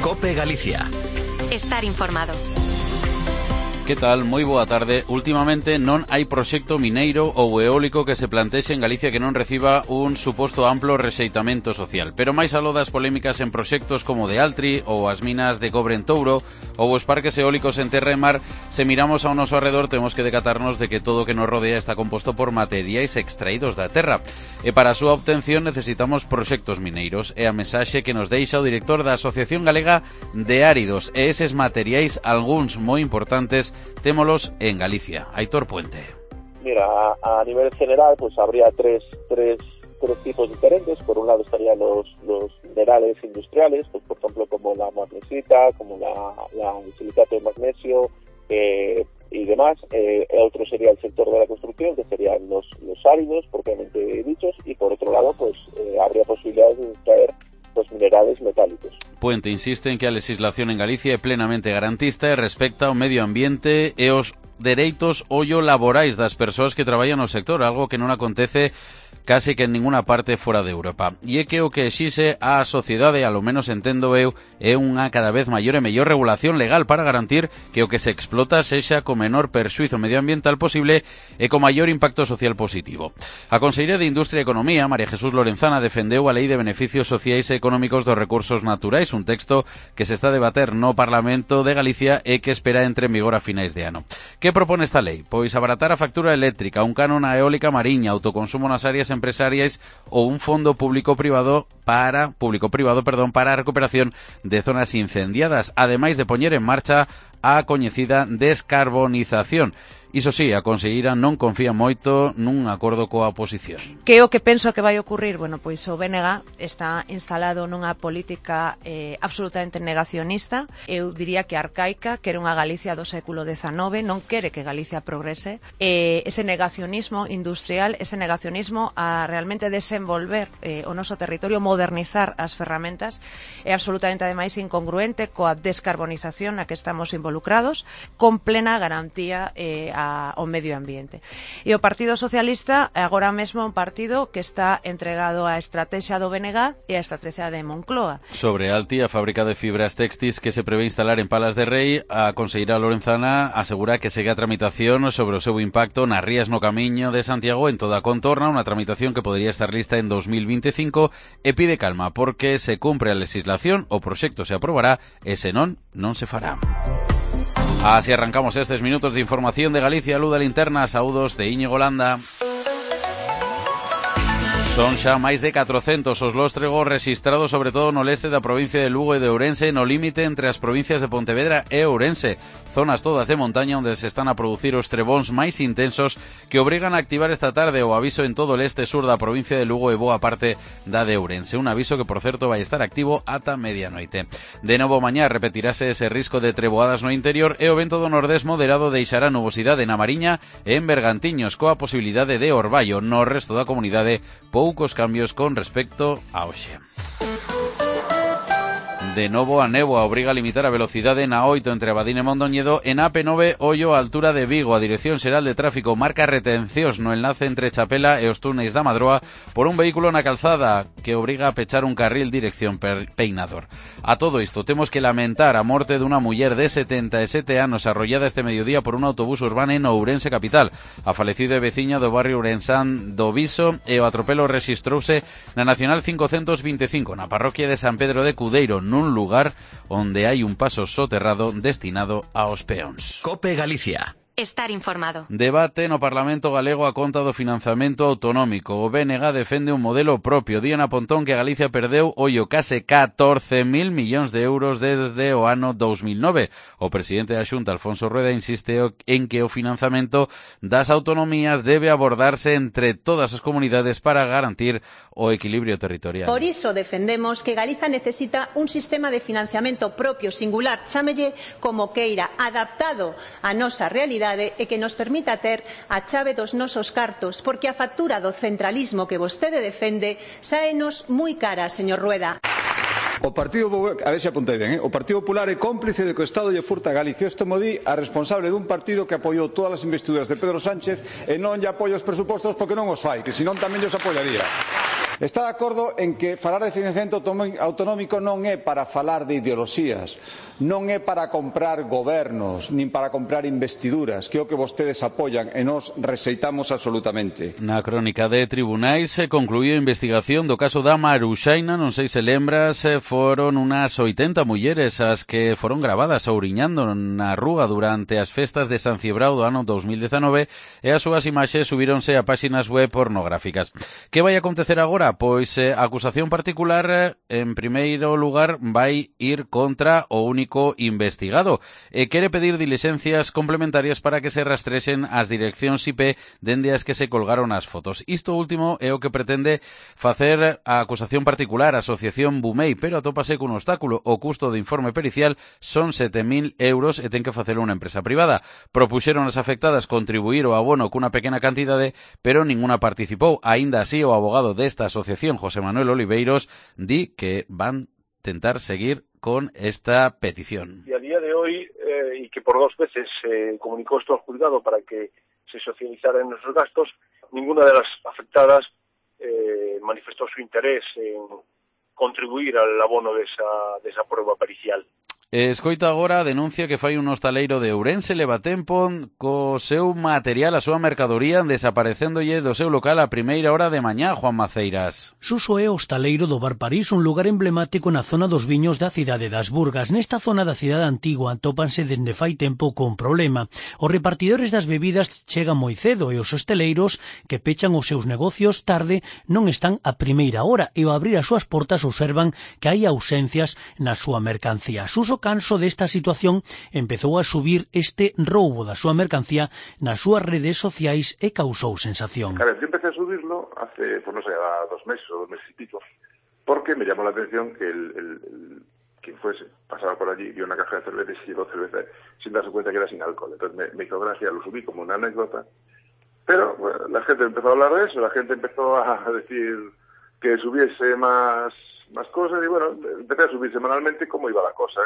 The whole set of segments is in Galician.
COPE Galicia. Estar informado. Que tal? Moi boa tarde. Últimamente non hai proxecto mineiro ou eólico que se plantexe en Galicia que non reciba un suposto amplo rexeitamento social. Pero máis aló das polémicas en proxectos como de Altri ou as minas de cobre en Touro ou os parques eólicos en terra e mar, se miramos ao noso arredor temos que decatarnos de que todo o que nos rodea está composto por materiais extraídos da terra. E para a súa obtención necesitamos proxectos mineiros. É a mensaxe que nos deixa o director da Asociación Galega de Áridos. E eses materiais, algúns moi importantes, témolos en Galicia. Aitor Puente. Mira, a nivel general, pues habría tres tipos diferentes. Por un lado estarían los minerales industriales, pues por ejemplo como la magnesita, como el silicato de magnesio y demás. Otro sería el sector de la construcción, que serían los áridos, propiamente dichos, y por otro lado, pues habría posibilidades de extraer los minerales metálicos. Puente insiste en que a legislación en Galicia é plenamente garantista e respecta o medio ambiente e os dereitos laborais das persoas que traballan no sector, algo que non acontece casi que en ninguna parte fora de Europa. E é que o que exixe a sociedade, a lo menos entendo eu, é unha cada vez maior e mellor regulación legal para garantir que o que se explota sexa co menor perxuízo medioambiental posible e co maior impacto social positivo. A Conselleira de Industria e Economía, María Jesús Lorenzana, defendeu a Lei de Beneficios Sociais e Económicos dos Recursos Naturais, un texto que se está a debater no Parlamento de Galicia e que espera entre en vigor a finais de ano. Que propone esta lei? Pois abaratar a factura eléctrica, un canon a eólica mariña, autoconsumo nas áreas empresariais ou un fondo público-privado para a recuperación de zonas incendiadas, ademais de poñer en marcha a coñecida descarbonización. Iso sí, a conselleira non confía moito nun acordo coa oposición. Que é o que penso que vai ocurrir? Bueno, pois o BNG está instalado nunha política absolutamente negacionista, eu diría que arcaica, que era unha Galicia do século XIX, non quere que Galicia progrese, ese negacionismo industrial, ese negacionismo a realmente desenvolver o noso territorio, modernizar as ferramentas, é absolutamente ademais incongruente coa descarbonización na que estamos involucrados, con plena garantía ao medio ambiente. E o Partido Socialista agora mesmo é un partido que está entregado á estrategia do BNG e á estrategia de Moncloa. Sobre Alti, a fábrica de fibras textis que se prevé instalar en Palas de Rei, a conselleira Lorenzana asegura que segue a tramitación sobre o seu impacto nas rías no camiño de Santiago en toda a contorna, unha tramitación que podría estar lista en 2025 e pide calma porque se cumpre a legislación o proxecto se aprobará e senón non se fará. Así arrancamos estes minutos de información de Galicia. Luz da Linterna, saúdos de Íñigo Landa. Son xa máis de 400 os lóstregos rexistrados sobre todo no leste da provincia de Lugo e de Ourense, no límite entre as provincias de Pontevedra e Ourense, zonas todas de montaña onde se están a producir os trebóns máis intensos que obrigan a activar esta tarde o aviso en todo o leste sur da provincia de Lugo e boa parte da de Ourense, un aviso que por certo vai estar activo ata medianoite. De novo mañá repetirase ese risco de treboadas no interior e o vento do nordés moderado deixará nubosidade na Mariña e en Bergantiños coa posibilidade de orballo. No resto da comunidade poucos cambios con respecto a hoxe. De novo a néboa obriga a limitar a velocidade na 8 entre Abadín e Mondoñedo e na AP9 Ollo a altura de Vigo. A Dirección Xeral de Tráfico marca retencións no enlace entre Chapela e os túneis da Madroa por un vehículo na calzada que obriga a pechar un carril dirección Peinador. A todo isto temos que lamentar a morte dunha muller de 77 anos arrollada este mediodía por un autobús urbano en Ourense capital. A falecida é veciña do barrio ourensán do Viso e o atropelo rexistrouse na Nacional 525 na parroquia de San Pedro de Cudeiro, nun lugar onde hai un paso soterrado destinado aos peóns. COPE Galicia. Estar informado. Debate no Parlamento Galego a conta do financiamento autonómico. O BNG defende un modelo propio. Diana Pontón que Galicia perdeu case 14.000 millóns de euros desde o ano 2009. O presidente da Xunta, Alfonso Rueda, insiste en que o financiamento das autonomías debe abordarse entre todas as comunidades para garantir o equilibrio territorial. Por iso defendemos que Galiza necesita un sistema de financiamento propio, singular, chámelle como queira, adaptado á nosa realidade e que nos permita ter a chave dos nosos cartos, porque a factura do centralismo que vostede defende sáenos moi cara, señor Rueda. O Partido Popular é cómplice de que o Estado lle furta a Galicia. Isto mo di a responsable dun partido que apoiou todas as investiduras de Pedro Sánchez e non lle apoia os presupostos porque non os fai, que senón tamén os apoiaría. Está de acordo en que falar de financiamento autonómico non é para falar de ideoloxías, non é para comprar gobernos, nin para comprar investiduras, que é o que vostedes apoian e nós rexeitamos absolutamente. Na crónica de tribunais concluíu a investigación do caso da Maruxaina, non sei se lembras, foron unas 80 mulleres as que foron gravadas ouriñando na rúa durante as festas de San Cibrao do ano 2019 e as súas imaxes subíronse a páxinas web pornográficas. Que vai acontecer agora? Pois a acusación particular, en primeiro lugar, vai ir contra o único investigado e quere pedir diligencias complementarias para que se rastrexen as direccións IP dende as que se colgaron as fotos. Isto último é o que pretende facer a acusación particular, a Asociación Bumei, pero atópase cun obstáculo. O custo do informe pericial son 7.000 euros e ten que facelo unha empresa privada. Propuxeron as afectadas contribuir o abono cunha pequena cantidade, pero ninguna participou. Aínda así, o abogado desta asociación, José Manuel Oliveiros, di que van tentar seguir con esta petición. Y a día de hoy, y que por 2 veces se comunicó esto al juzgado para que se socializaran nuestros gastos, ninguna de las afectadas manifestó su interés en contribuir al abono de esa prueba pericial. Escoita agora a denuncia que fai un hostaleiro de Ourense. Leva tempo co seu material, a súa mercadoría, desaparecéndolle do seu local a primeira hora de mañá, Juan Maceiras. Suso é hostaleiro do Bar París, un lugar emblemático na zona dos viños da cidade das Burgas. Nesta zona da cidade antigua atópanse dende fai tempo con problema. Os repartidores das bebidas chegan moi cedo e os hostaleiros que pechan os seus negocios tarde non están a primeira hora e ao abrir as súas portas observan que hai ausencias na súa mercancía. Suso, canso desta situación, empezou a subir este roubo da súa mercancía nas súas redes sociais e causou sensación. Claro, yo empecé a subirlo hace, pues no sé, a 2 meses o 2 meses y pico, porque me llamó la atención que quien fuese, pasaba por allí, vio una caja de cerveza y llevó cerveza sin darse cuenta que era sin alcohol. Entonces me hizo gracia, lo subí como una anécdota, pero bueno, la gente empezó a hablar de eso, la gente empezó a decir que subiese más cosas y bueno, empecé a subir semanalmente como iba la cosa.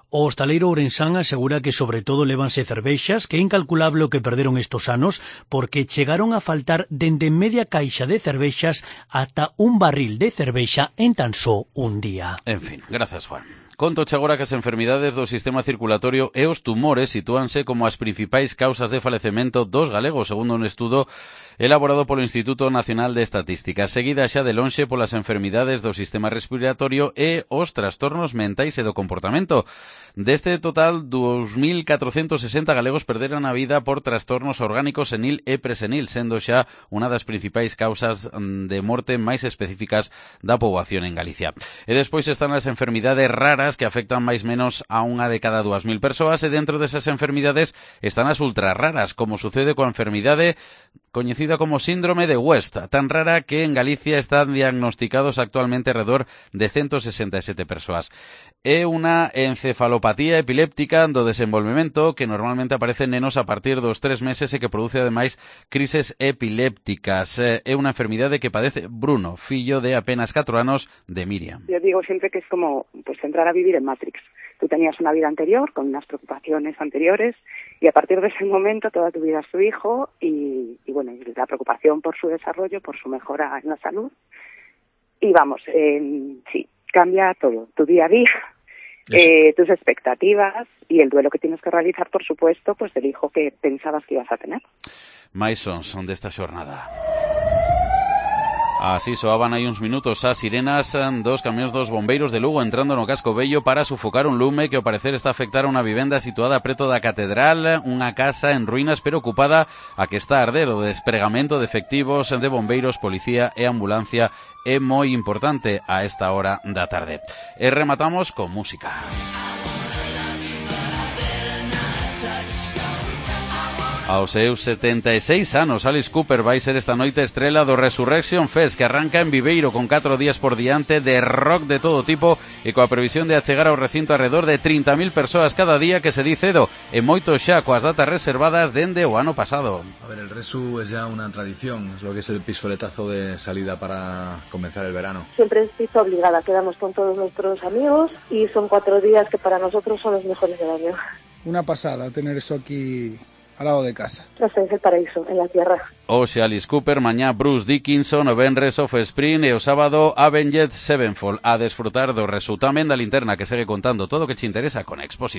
O hostaleiro ourensán asegura que sobre todo lévanse cervexas, que é incalculable o que perderon estos anos, porque chegaron a faltar dende media caixa de cervexas ata un barril de cervexa en tan só un día. En fin, gracias, Juan. Contoche agora que as enfermidades do sistema circulatorio e os tumores sitúanse como as principais causas de falecemento dos galegos, segundo un estudo elaborado polo Instituto Nacional de Estatística, seguida xa de lonxe polas enfermidades do sistema respiratorio e os trastornos mentais e do comportamento. Deste total, 2.460 galegos perderon a vida por trastornos orgánicos senil e presenil, sendo xa unha das principais causas de morte máis específicas da poboación en Galicia. E despois están as enfermidades raras que afectan máis menos a unha de cada 2.000 persoas, e dentro desas enfermidades están as ultra raras, como sucede coa enfermidade coñecida como síndrome de West, tan rara que en Galicia están diagnosticados actualmente alrededor de 167 persoas. É unha encefalopatía epiléptica do desenvolvemento que normalmente aparece en nenos a partir dos 3 meses e que produce ademais crises epilépticas. É unha enfermidade que padece Bruno, fillo de apenas 4 anos de Miriam. Yo digo siempre que es como pues entrar a vivir en Matrix. Tú tenías una vida anterior con unas preocupaciones anteriores y a partir de ese momento toda tu vida es tu hijo y bueno, y la preocupación por su desarrollo, por su mejora en la salud. Y vamos, sí, cambia todo, tu día a día, tus expectativas y el duelo que tienes que realizar, por supuesto, pues del hijo que pensabas que ibas a tener. Mais son desta xornada. Así soaban hai uns minutos as sirenas dos camións dos bombeiros de Lugo entrando no casco vello para sufocar un lume que ao parecer está a afectar a unha vivenda situada preto da catedral, unha casa en ruínas pero ocupada a que está a arder. O despregamento de efectivos de bombeiros, policía e ambulancia é moi importante a esta hora da tarde. E rematamos con música. Aos seus 76 anos, Alice Cooper vai ser esta noite estrela do Resurrection Fest, que arranca en Viveiro con 4 días por diante de rock de todo tipo e coa previsión de achegar ao recinto alrededor de 30.000 persoas cada día, que se di cedo, e moito xa coas datas reservadas dende o ano pasado. A ver, el Resu es ya una tradición, es lo que es el pistoletazo de salida para comenzar el verano. Siempre estoy obligada, quedamos con todos nuestros amigos y son 4 días que para nosotros son los mejores del año. Una pasada tener eso aquí al lado de casa. Ese es el paraíso, en la tierra. Hoxe Alice Cooper, mañá Bruce Dickinson, o venres Offspring e o sábado Avenged Sevenfold. A desfrutar do resultame da linterna que segue contando todo o que te interesa con Exposit.